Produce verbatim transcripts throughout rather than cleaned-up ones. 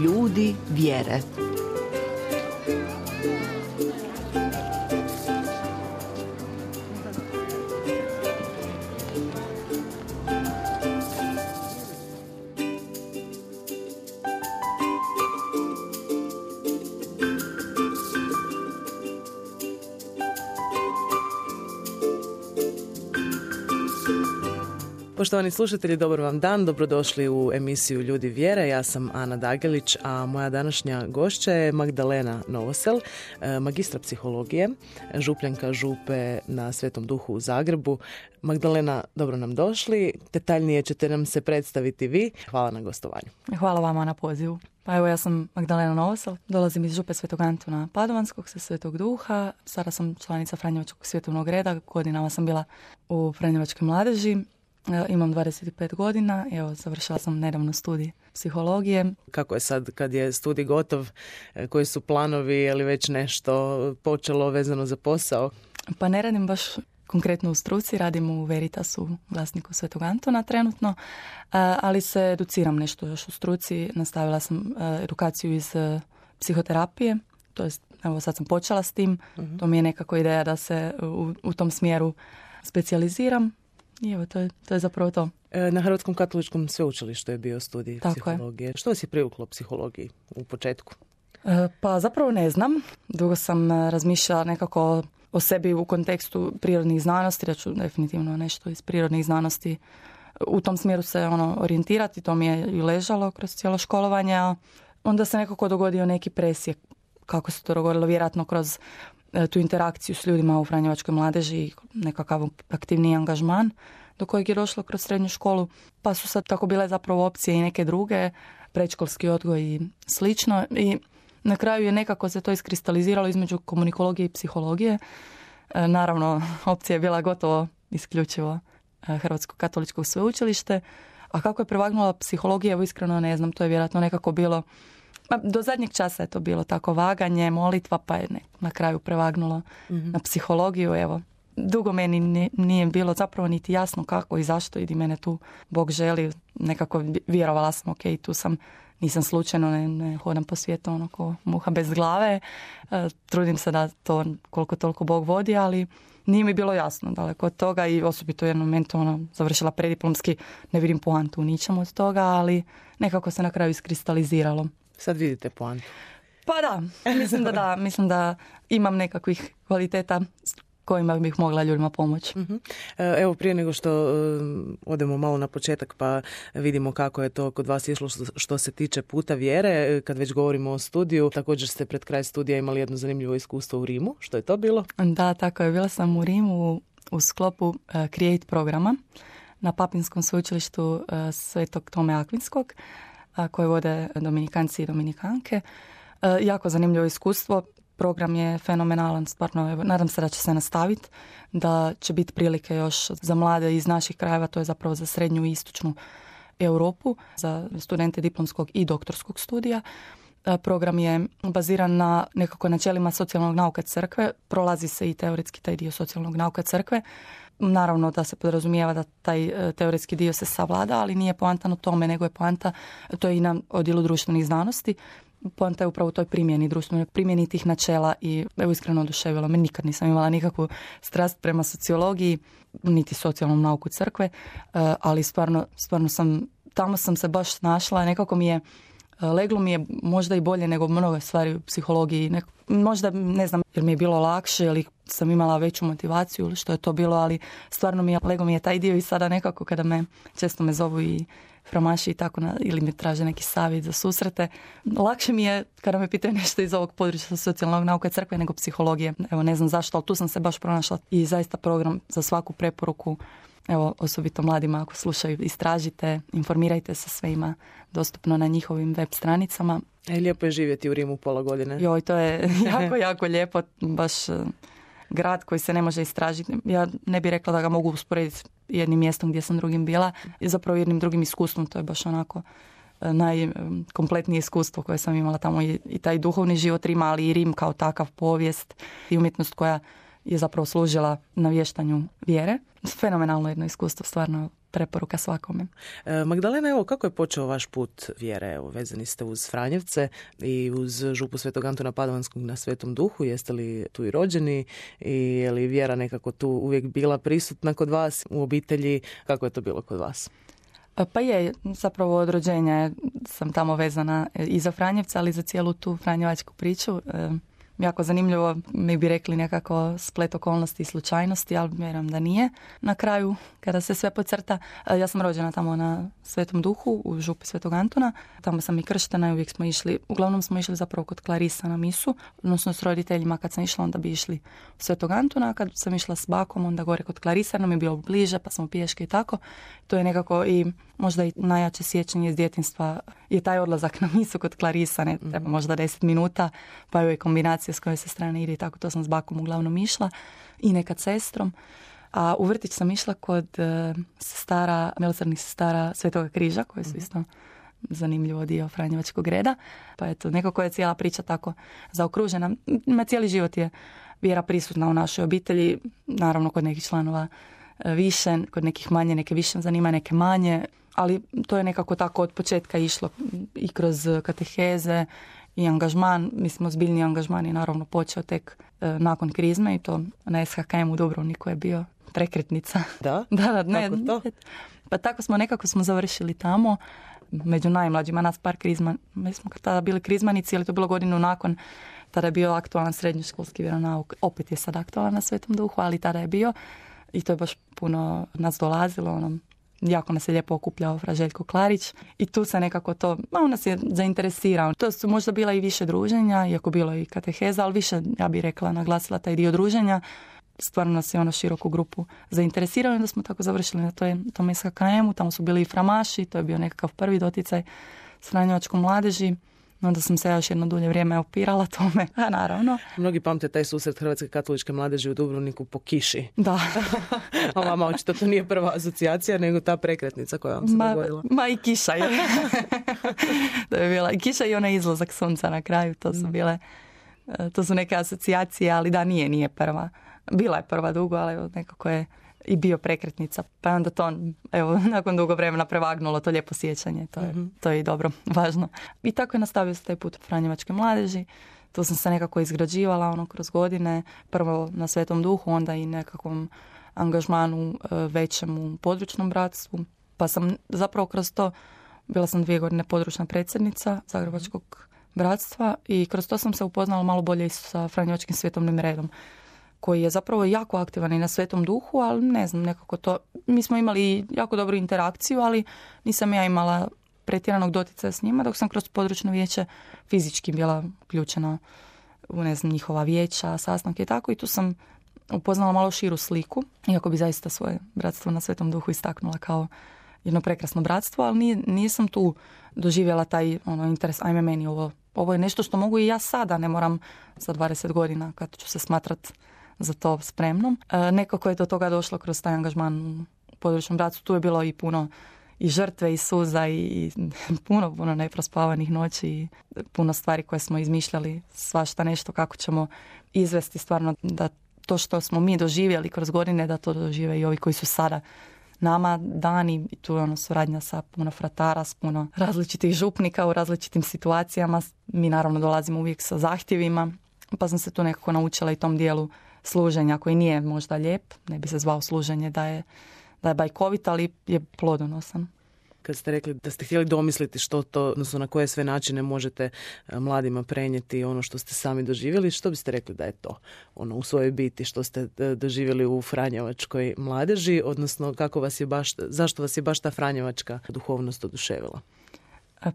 Ljudi vjere. Poštovani slušatelji, dobar vam dan, dobrodošli u emisiju Ljudi vjere. Ja sam Ana Dagelić, a moja današnja gošća je Magdalena Novosel, magistra psihologije, župljanka župe na Svetom Duhu u Zagrebu. Magdalena, dobro nam došli. Detaljnije ćete nam se predstaviti vi. Hvala na gostovanju. Hvala vama na pozivu. Pa evo, ja sam Magdalena Novosel, dolazim iz župe Svetog Antuna Padovanskog sa Svetog Duha. Sada sam članica Franjevačkog svjetovnog reda, godinama sam bila u Franjevačkoj mladeži. Imam dvadeset pet godina, evo, završila sam nedavno studij psihologije. Kako je sad kad je studij gotov, koji su planovi, je li već nešto počelo vezano za posao? Pa ne radim baš konkretno u struci, radim u Veritasu, glasniku Svetog Antona trenutno, ali se educiram nešto još u struci. Nastavila sam edukaciju iz psihoterapije, to jest, evo, sad sam počela s tim. Uh-huh. To mi je nekako ideja da se u, u tom smjeru specijaliziram. I evo, to je, to je zapravo to. Na Hrvatskom katoličkom sveučilištu je bio studij Tako psihologije. Je. Što vas je privuklo psihologiji u početku? E, pa zapravo ne znam. Dugo sam razmišljala nekako o sebi u kontekstu prirodnih znanosti, da ću definitivno nešto iz prirodnih znanosti u tom smjeru se ono orijentirati. To mi je i ležalo kroz cijelo školovanje. A onda se nekako dogodio neki presjek. Kako se to dogodilo? Vjerojatno kroz tu interakciju s ljudima u Franjevačkoj mladeži i nekakav aktivni angažman do kojeg je došlo kroz srednju školu. Pa su sad tako bile zapravo opcije i neke druge, predškolski odgoj i slično. I na kraju je nekako se to iskristaliziralo između komunikologije i psihologije. E, naravno, opcija je bila gotovo isključivo Hrvatsko katoličko sveučilište. A kako je prevagnula psihologija, evo iskreno ne znam, to je vjerojatno nekako bilo... Do zadnjeg časa je to bilo tako vaganje, molitva, pa je na kraju prevagnulo mm-hmm. na psihologiju. Evo, dugo meni nije bilo zapravo niti jasno kako i zašto i di mene tu Bog želi. Nekako vjerovala sam, ok, tu sam, nisam slučajno, ne, ne hodam po svijetu ono ko muha bez glave. E, trudim se da to koliko toliko Bog vodi, ali nije mi bilo jasno daleko od toga i osobito u jednom momentu ono, završila prediplomski, ne vidim poantu u ničemu od toga, ali nekako se na kraju iskristaliziralo. Sad vidite poantu. Pa da, mislim da da, mislim da imam nekakvih kvaliteta kojima bih mogla ljudima pomoći. Uh-huh. Evo, prije nego što odemo malo na početak pa vidimo kako je to kod vas išlo što se tiče puta vjere, kad već govorimo o studiju, također ste pred kraj studija imali jedno zanimljivo iskustvo u Rimu. Što je to bilo? Da, tako je. Bila sam u Rimu u sklopu uh, Create programa na Papinskom sveučilištu uh, Svetog Tome Akvinskog, koje vode Dominikanci i Dominikanke. E, jako zanimljivo iskustvo. Program je fenomenalan, stvarno. Evo, nadam se da će se nastaviti, da će biti prilike još za mlade iz naših krajeva, to je zapravo za srednju i istočnu Europu, za studente diplomskog i doktorskog studija. E, program je baziran na nekako načelima socijalnog nauka crkve. Prolazi se i teoretski taj dio socijalnog nauka crkve. Naravno da se podrazumijeva da taj teoretski dio se savlada, ali nije poanta u tome, nego je poanta, to je i na odjelu društvenih znanosti, poanta je upravo u toj primjeni, društvenoj primjeni tih načela i evo iskreno oduševilo me, nikad nisam imala nikakvu strast prema sociologiji, niti socijalnom nauku crkve, ali stvarno, stvarno sam, tamo sam se baš našla, nekako mi je leglo mi je možda i bolje nego mnoge stvari u psihologiji. Nek, možda, ne znam, jer mi je bilo lakše ili sam imala veću motivaciju ili što je to bilo, ali stvarno mi je, leglo mi je taj dio i sada nekako kada me, često me zovu i framaši i tako, na, ili mi traže neki savjet za susrete. Lakše mi je kada me pitaju nešto iz ovog područja socijalnog nauka crkve nego psihologije. Evo, ne znam zašto, ali tu sam se baš pronašla i zaista program za svaku preporuku. Evo, osobito mladima ako slušaju, istražite, informirajte se, sve ima dostupno na njihovim web stranicama. E, lijepo je živjeti u Rimu pola godine. Joj, to je jako, jako lijepo, baš grad koji se ne može istražiti. Ja ne bih rekla da ga mogu usporediti jednim mjestom gdje sam drugim bila i zapravo jednim drugim iskustvom, to je baš onako najkompletnije iskustvo koje sam imala tamo i, i taj duhovni život Rima, ali i Rim kao takav, povijest i umjetnost koja je zapravo služila navještanju vjere. Fenomenalno jedno iskustvo, stvarno preporuka svakome. E, Magdalena, evo, kako je počeo vaš put vjere? Evo, vezani ste uz Franjevce i uz župu Svetog Antuna Padovanskog na Svetom Duhu. Jeste li tu i rođeni i je li vjera nekako tu uvijek bila prisutna kod vas u obitelji? Kako je to bilo kod vas? Pa je, zapravo od rođenja sam tamo vezana i za Franjevca, ali i za cijelu tu franjevačku priču. E, jako zanimljivo, mi bi rekli nekako splet okolnosti i slučajnosti, ali vjerujem da nije. Na kraju, kada se sve podcrta, ja sam rođena tamo na Svetom Duhu, u župi Svetog Antuna. Tamo sam i krštena i uvijek smo išli, uglavnom smo išli zapravo kod Klarisa na misu, odnosno s roditeljima kad sam išla, onda bi išli u Svetog Antuna, a kad sam išla s bakom, onda gore kod Klarisa, nam je bilo bliže, pa smo pješke i tako. To je nekako i možda i najjače sjećanje iz djetinjstva je taj odlazak na misu kod Klarisa, ne treba možda deset minuta, pa je kombinacija s koje se strane ide i tako, to sam s bakom uglavnom išla i nekad sestrom. A u vrtić sam išla kod uh, sestara, milosrdnih sestara Svetoga križa, koje su isto zanimljivo dio franjevačkog reda. Pa eto, nekako je cijela priča tako zaokružena. Ma cijeli život je vjera prisutna u našoj obitelji, naravno kod nekih članova više, kod nekih manje, neke više zanima, neke manje, ali to je nekako tako od početka išlo i kroz kateheze i angažman. Mislim, ozbiljni angažman je naravno počeo tek e, nakon krizme i to na S H K M u Dubrovniku je bio prekretnica. Da? da, da, ne, Kako to? Pa tako smo nekako smo završili tamo, među najmlađima, nas par krizma. Mi smo tada bili krizmanici, ali to bilo godinu nakon. Tada je bio aktualan srednjoškolski vjeronauk. Opet je sad aktualan na Svetom Duhu, ali tada je bio. I to je baš puno nas dolazilo, ono, jako nas je lijepo okupljao fra Željko Klarić i tu se nekako to, on nas je zainteresirao. To su možda bila i više druženja, iako bilo i kateheza, ali više, ja bih rekla, naglasila taj dio druženja. Stvarno nas je ono široku grupu zainteresirao i onda smo tako završili na toj, tom S H K M-u, tamo su bili i framaši, to je bio nekakav prvi doticaj s franjevačkom mladeži. Onda sam se još jedno dulje vrijeme opirala tome, a naravno. Mnogi pamte taj susret Hrvatske katoličke mladeži u Dubrovniku po kiši. Da. A vama očito to nije prva asocijacija, nego ta prekretnica koja vam se ma, dogodila. Ma i kiša je. To je bila i kiša i onaj izlazak sunca na kraju, to su bile, to su neke asocijacije, ali da, nije, nije prva. Bila je prva dugo, ali nekako je i bio prekretnica. Pa onda to, evo, nakon dugo vremena prevagnulo to lijepo sjećanje. To je, mm-hmm. to je i dobro, važno. I tako je nastavio se taj put franjevačke mladeži. Tu sam se nekako izgrađivala ono kroz godine. Prvo na Svetom Duhu, onda i nekakvom angažmanu većem u područnom bratstvu. Pa sam zapravo kroz to, bila sam dvije godine područna predsjednica Zagrebačkog bratstva i kroz to sam se upoznala malo bolje i sa franjevačkim svjetovnim redom, koji je zapravo jako aktivan i na Svetom Duhu, ali ne znam, nekako to, mi smo imali jako dobru interakciju, ali nisam ja imala pretjeranog doticaja s njima, dok sam kroz područno vijeće fizički bila uključena u, ne znam, njihova vijeća, sastanke i tako, i tu sam upoznala malo širu sliku, iako bi zaista svoje bratstvo na Svetom Duhu istaknula kao jedno prekrasno bratstvo, ali nije, nisam tu doživjela taj ono, interes, ajme meni ovo, ovo je nešto što mogu i ja sada, ne moram za dvadeset godina kad ću se smatrat za to spremnom. E, nekako je do toga došlo kroz taj angažman u područnom bratstvu. Tu je bilo i puno i žrtve i suza i, i puno, puno neprospavanih noći i puno stvari koje smo izmišljali, svašta nešto kako ćemo izvesti stvarno da to što smo mi doživjeli kroz godine, da to dožive i ovi koji su sada nama dani. I tu je ono suradnja sa puno fratara, s puno različitih župnika u različitim situacijama. Mi naravno dolazimo uvijek sa zahtjevima, pa sam se tu nekako naučila i tom dijelu služenja koji nije možda lijep, ne bi se zvao služenje da je, da je bajkovit, ali je plodonosan. Kad ste rekli da ste htjeli domisliti što to, odnosno na koje sve načine možete mladima prenijeti ono što ste sami doživjeli, što biste rekli da je to ono u svojoj biti što ste doživjeli u franjevačkoj mladeži, odnosno kako vas je baš, zašto vas je baš ta franjevačka duhovnost oduševila?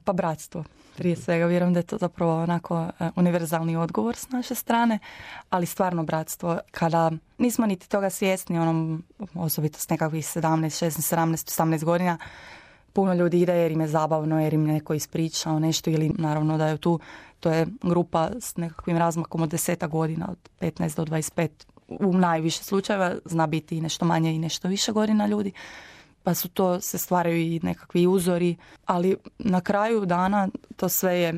Pa bratstvo. Prije svega vjerujem da je to zapravo onako univerzalni odgovor s naše strane, ali stvarno bratstvo. Kada nismo niti toga svjesni, onom, osobito s nekakvih sedamnaest, šesnaest, sedamnaest, osamnaest godina, puno ljudi ide jer im je zabavno, jer im neko ispričao nešto ili naravno da je tu, to je grupa s nekakvim razmakom od desetak godina, od petnaest do dvadeset pet, u najviše slučajeva, zna biti i nešto manje i nešto više godina ljudi. Pa su to, se stvaraju i nekakvi uzori, ali na kraju dana to sve je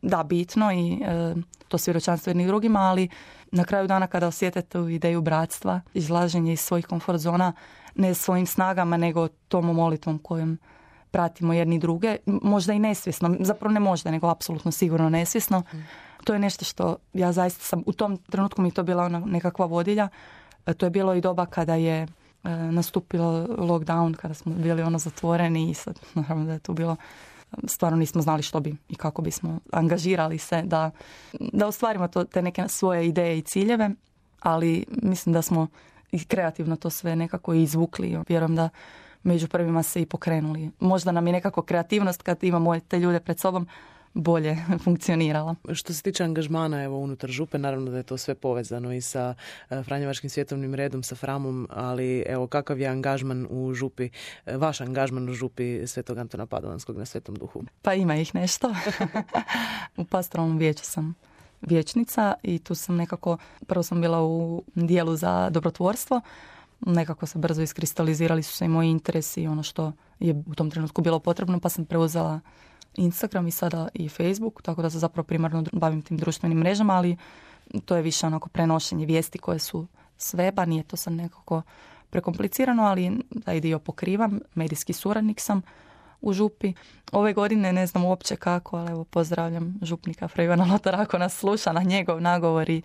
da, bitno i e, to svjedočanstvo jednih drugima, ali na kraju dana kada osjete tu ideju bratstva, izlaženje iz svojih komfort zona, ne svojim snagama, nego tom molitvom kojom pratimo jedni druge, možda i nesvjesno, zapravo ne možda, nego apsolutno sigurno nesvjesno. Mm. To je nešto što ja zaista sam, u tom trenutku mi to bila ona nekakva vodilja. E, to je bilo i doba kada je e, nastupilo lockdown, kada smo bili ono zatvoreni i sad, naravno da je tu bilo, stvarno nismo znali što bi i kako bismo angažirali se da, da ostvarimo to, te neke svoje ideje i ciljeve, ali mislim da smo i kreativno to sve nekako izvukli. Vjerujem da među prvima se i pokrenuli. Možda nam je nekako kreativnost kad imamo te ljude pred sobom bolje funkcionirala. Što se tiče angažmana evo unutar župe, naravno da je to sve povezano i sa Franjevačkim svjetovnim redom, sa Framom, ali evo kakav je angažman u župi, vaš angažman u župi Svetog Antuna Padovanskog na Svetom Duhu? Pa ima ih nešto. U pastoralnom vijeću sam vijećnica i tu sam nekako, prvo sam bila u dijelu za dobrotvorstvo, nekako se brzo iskristalizirali su se i moji interesi i ono što je u tom trenutku bilo potrebno, pa sam preuzela Instagram i sada i Facebook, tako da se zapravo primarno bavim tim društvenim mrežama, ali to je više onako prenošenje vijesti koje su s weba, nije to sad nekako prekomplicirano, ali taj dio pokrivam, medijski suradnik sam u župi. Ove godine ne znam uopće kako, ali evo pozdravljam župnika Fra Ivana Lotara ako nas sluša, na njegov nagovor i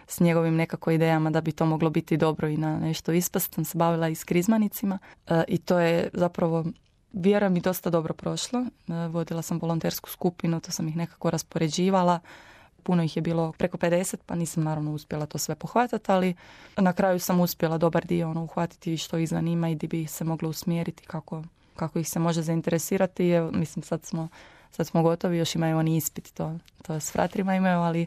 s njegovim nekako idejama da bi to moglo biti dobro i na nešto ispast. Sam se bavila i s krizmanicima e, i to je zapravo, vjerujem, i dosta dobro prošlo. E, vodila sam volontersku skupinu, to sam ih nekako raspoređivala. Puno ih je bilo preko pedeset, pa nisam naravno uspjela to sve pohvatati, ali na kraju sam uspjela dobar dio ono, uhvatiti što ih zanima i gdje bi ih se moglo usmjeriti, kako, kako ih se može zainteresirati. Evo, mislim, sad smo, sad smo gotovi, još imaju oni ispit, to, to s fratrima imaju, ali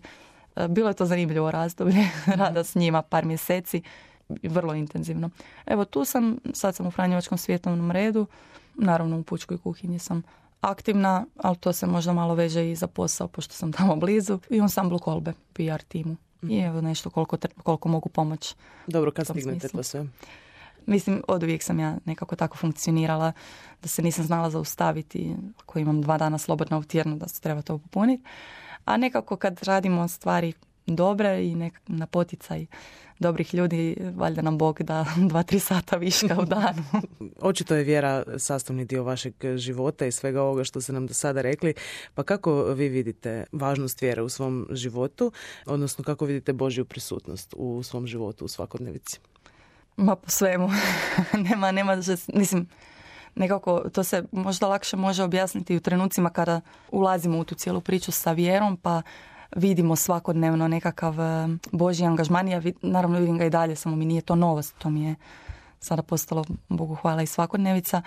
bilo je to zanimljivo razdoblje, rada s njima par mjeseci, vrlo intenzivno. Evo tu sam, sad sam u Franjevačkom svjetovnom redu, naravno u pučkoj kuhinji sam aktivna, ali to se možda malo veže i za posao, pošto sam tamo blizu, i u ansamblu Kolbe, P R timu. I evo nešto koliko, koliko mogu pomoći. Dobro, kad stignete to sve? Mislim, od uvijek sam ja nekako tako funkcionirala, da se nisam znala zaustaviti, ako imam dva dana slobodna u tjednu, da se treba to popuniti. A nekako kad radimo stvari dobre i nek- na poticaj dobrih ljudi, valjda nam Bog da dva, tri sata viška u danu. Očito je vjera sastavni dio vašeg života i svega ovoga što ste nam do sada rekli. Pa kako vi vidite važnost vjere u svom životu, odnosno kako vidite Božju prisutnost u svom životu u svakodnevici? Ma po svemu. nema, nema, mislim, nekako to se možda lakše može objasniti u trenucima kada ulazimo u tu cijelu priču sa vjerom, pa vidimo svakodnevno nekakav Božji angažman. Ja vid, naravno vidim ga i dalje, samo mi nije to novost, to mi je sada postalo, Bogu hvala, i svakodnevica.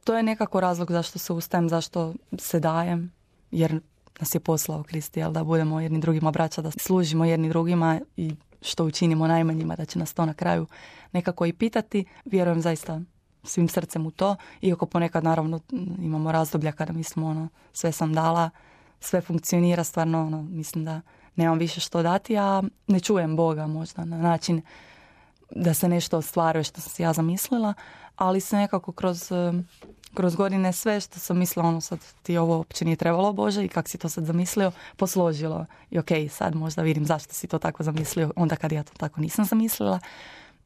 To je nekako razlog zašto se ustajem, zašto se dajem, jer nas je poslao Krist, jel, da budemo jedni drugima braća, da služimo jedni drugima i što učinimo najmanjima, da će nas to na kraju nekako i pitati. Vjerujem zaista svim srcem u to, iako ponekad naravno imamo razdoblja kada mislimo ono, sve sam dala, sve funkcionira, stvarno ono, mislim da nemam više što dati, a ne čujem Boga možda na način da se nešto ostvaruje što sam si ja zamislila, ali se nekako kroz, kroz godine sve što sam mislila, ono sad ti ovo uopće nije trebalo Bože i kak si to sad zamislio, posložilo. I ok, sad možda vidim zašto si to tako zamislio, onda kad ja to tako nisam zamislila.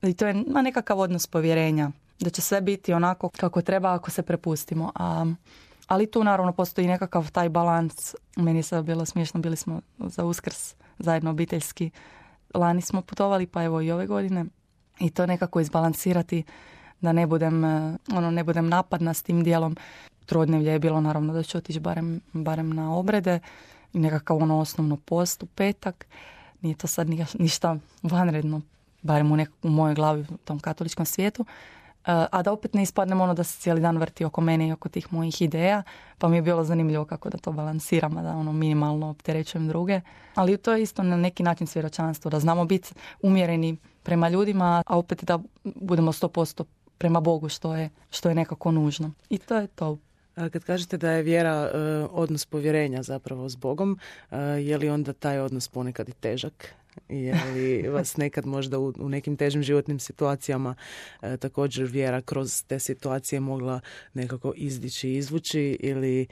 I to je ma, nekakav odnos povjerenja, da će sve biti onako kako treba ako se prepustimo. A, ali tu naravno postoji nekakav taj balans. Meni je sad bilo smiješno, bili smo za Uskrs zajedno obiteljski. Lani smo putovali, pa evo i ove godine. I to nekako izbalansirati da ne budem, ono, ne budem napadna s tim dijelom. Trodnevlje je bilo naravno da ću otići barem, barem na obrede i nekakav ono osnovno post u petak. Nije to sad ništa vanredno, barem u, nek- u mojoj glavi u tom katoličkom svijetu. A da opet ne ispadnem ono da se cijeli dan vrti oko mene i oko tih mojih ideja, pa mi je bilo zanimljivo kako da to balansiram, a da ono minimalno opterećujem druge. Ali to je isto na neki način svjedočanstvo, da znamo biti umjereni prema ljudima, a opet da budemo sto posto prema Bogu, što je, što je nekako nužno. I to je to. Kad kažete da je vjera uh, odnos povjerenja zapravo s Bogom, uh, je li onda taj odnos ponekad i težak? Je li vas nekad možda u, u nekim težim životnim situacijama e, također vjera kroz te situacije mogla nekako izdići, izvući ili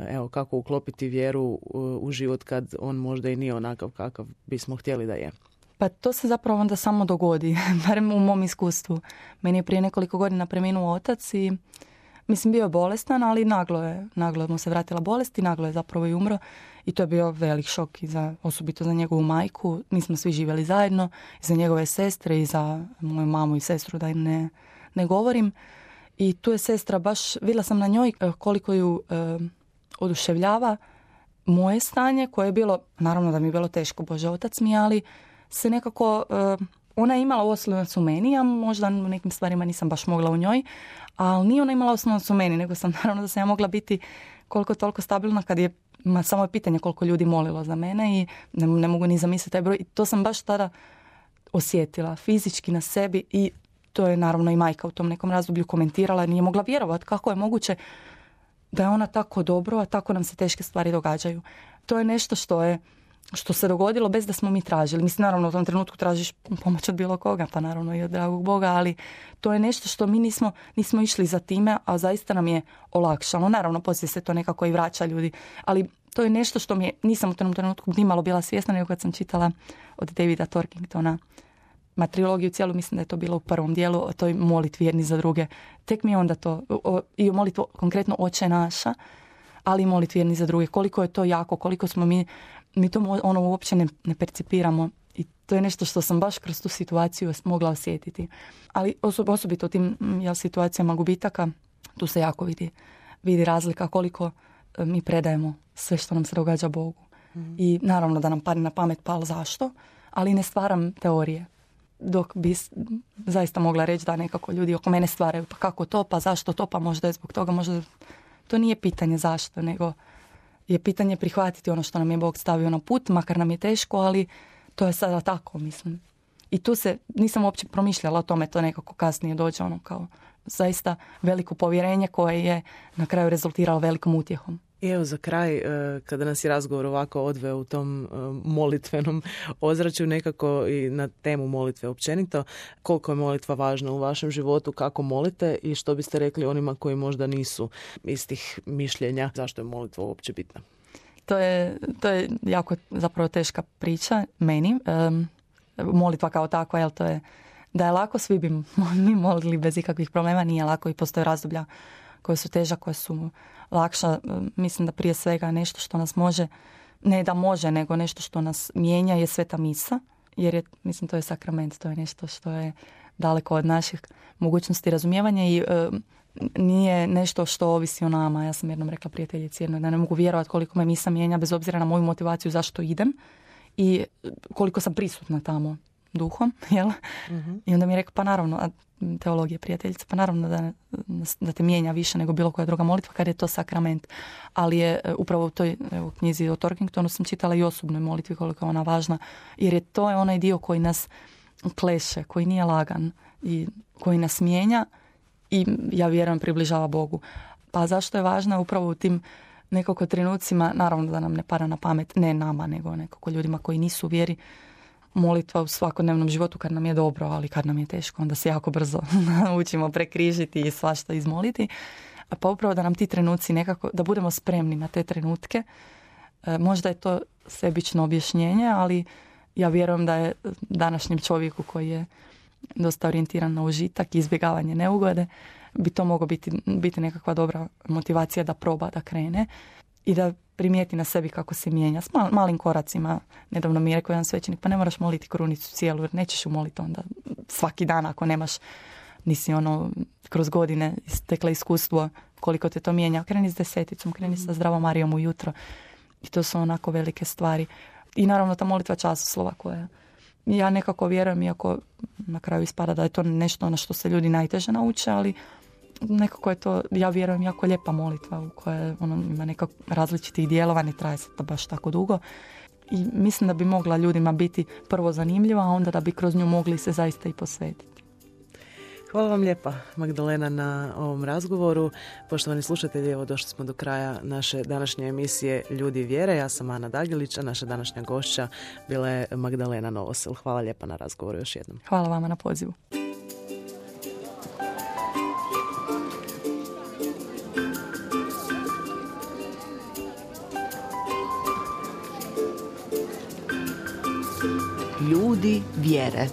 evo kako uklopiti vjeru u, u život kad on možda i nije onakav kakav bismo htjeli da je? Pa to se zapravo onda samo dogodi, barem u mom iskustvu. Meni je prije nekoliko godina preminuo otac i mislim bio je bolestan, ali naglo je, naglo mu se vratila bolest i naglo je zapravo i umro. I to je bio velik šok i za, osobito za njegovu majku. Mi smo svi živjeli zajedno, i za njegove sestre i za moju mamu i sestru, da im ne, ne govorim. I tu je sestra baš, vidjela sam na njoj koliko ju e, oduševljava moje stanje, koje je bilo, naravno da mi je bilo teško, Bože otac mi, ali se nekako, e, ona je imala oslonac u meni, a možda u nekim stvarima nisam baš mogla u njoj, ali nije ona imala oslonac u meni, nego sam naravno da sam ja mogla biti koliko toliko stabilna kad je, ma, samo je pitanje koliko ljudi molilo za mene i ne, ne mogu ni zamisliti taj broj. I to sam baš tada osjetila fizički na sebi i to je naravno i majka u tom nekom razdoblju komentirala, nije mogla vjerovati kako je moguće da je ona tako dobro, a tako nam se teške stvari događaju. To je nešto što je što se dogodilo bez da smo mi tražili. Mislim, naravno u tom trenutku tražiš pomoć od bilo koga, pa naravno i od dragog Boga, ali to je nešto što mi nismo, nismo išli za time, a zaista nam je olakšalo. Naravno, poslije se to nekako i vraća ljudi, ali to je nešto što mi je, nisam u tom trenutku nimalo bila svjesna, nego kad sam čitala od Davida Torkingtona ma trilogiju cijelu, mislim da je to bilo u prvom dijelu, o toj molitvi jedni za druge. Tek mi je onda to, o, i molitvu konkretno Oče naša, ali i molitvi jedni za druge. Koliko je to jako, koliko smo mi, mi to ono uopće ne, ne percipiramo. I to je nešto što sam baš kroz tu situaciju mogla osjetiti. Ali osob, osobito u tim jel, situacijama gubitaka, tu se jako vidi, vidi razlika koliko mi predajemo sve što nam se događa Bogu. Mm. I naravno da nam padne na pamet, pa ali zašto? Ali ne stvaram teorije. Dok bi zaista mogla reći da nekako ljudi oko mene stvaraju, pa kako to, pa zašto to, pa možda je zbog toga, možda to nije pitanje zašto, nego je pitanje prihvatiti ono što nam je Bog stavio na put, makar nam je teško, ali to je sada tako, mislim. I tu se, nisam uopće promišljala o tome, to nekako kasnije dođe ono kao zaista veliko povjerenje koje je na kraju rezultiralo velikom utjehom. I evo za kraj, kada nas je razgovor ovako odveo u tom molitvenom ozračju, nekako i na temu molitve općenito, koliko je molitva važna u vašem životu, kako molite i što biste rekli onima koji možda nisu istih mišljenja, zašto je molitva uopće bitna? To je, to je jako zapravo teška priča meni. Um, molitva kao takva, jel to je da je lako, svi bi mi molili bez ikakvih problema, nije lako i postoje razdoblja koje su teža, koje su lakša. Mislim da prije svega nešto što nas može, ne da može, nego nešto što nas mijenja je Sveta misa, jer je, mislim, to je sakrament, to je nešto što je daleko od naših mogućnosti razumijevanja i e, nije nešto što ovisi o nama. Ja sam jednom rekla prijateljici jednoj da ne mogu vjerovati koliko me misa mijenja bez obzira na moju motivaciju zašto idem i koliko sam prisutna tamo duhom, jel? Uh-huh. I onda mi je rekao, pa naravno, a teologija prijateljica, pa naravno da, da te mijenja više nego bilo koja druga molitva kad je to sakrament. Ali je upravo u toj evo, knjizi o Torkingtonu sam čitala i osobnoj molitvi koliko je ona važna, jer je to je onaj dio koji nas kleše, koji nije lagan i koji nas mijenja i ja vjerujem približava Bogu. Pa zašto je važna upravo u tim nekako trenucima, naravno da nam ne pada na pamet, ne nama, nego nekako ljudima koji nisu u vjeri, molitva u svakodnevnom životu kad nam je dobro, ali kad nam je teško, onda se jako brzo naučimo prekrižiti i svašta izmoliti. Pa upravo da nam ti trenuci nekako, da budemo spremni na te trenutke. E, možda je to sebično objašnjenje, ali ja vjerujem da je današnjem čovjeku koji je dosta orijentiran na užitak i izbjegavanje neugode, bi to moglo biti, biti nekakva dobra motivacija da proba, da krene i da primijeti na sebi kako se mijenja s mal, malim koracima. Nedavno mi je rekao jedan svećenik, pa ne moraš moliti krunicu cijelu, jer nećeš ju moliti onda svaki dan ako nemaš, nisi ono kroz godine stekla iskustvo koliko te to mijenja. Kreni s deseticom, kreni sa Zdravom Marijom ujutro i to su onako velike stvari. I naravno ta molitva časoslova koja ja nekako vjerujem, iako na kraju ispada da je to nešto na što se ljudi najteže nauče, ali nekako je to, ja vjerujem, jako lijepa molitva u kojoj ono, ima nekako različitih dijelova, ne traje se to baš tako dugo. I mislim da bi mogla ljudima biti prvo zanimljiva, a onda da bi kroz nju mogli se zaista i posvetiti. Hvala vam lijepa, Magdalena, na ovom razgovoru. Poštovani slušatelji, evo došli smo do kraja naše današnje emisije Ljudi vjere. Ja sam Ana Dagilić, a naša današnja gošća bila je Magdalena Novosel. Hvala lijepa na razgovoru još jednom. Hvala vama na pozivu. Ljudi vjere.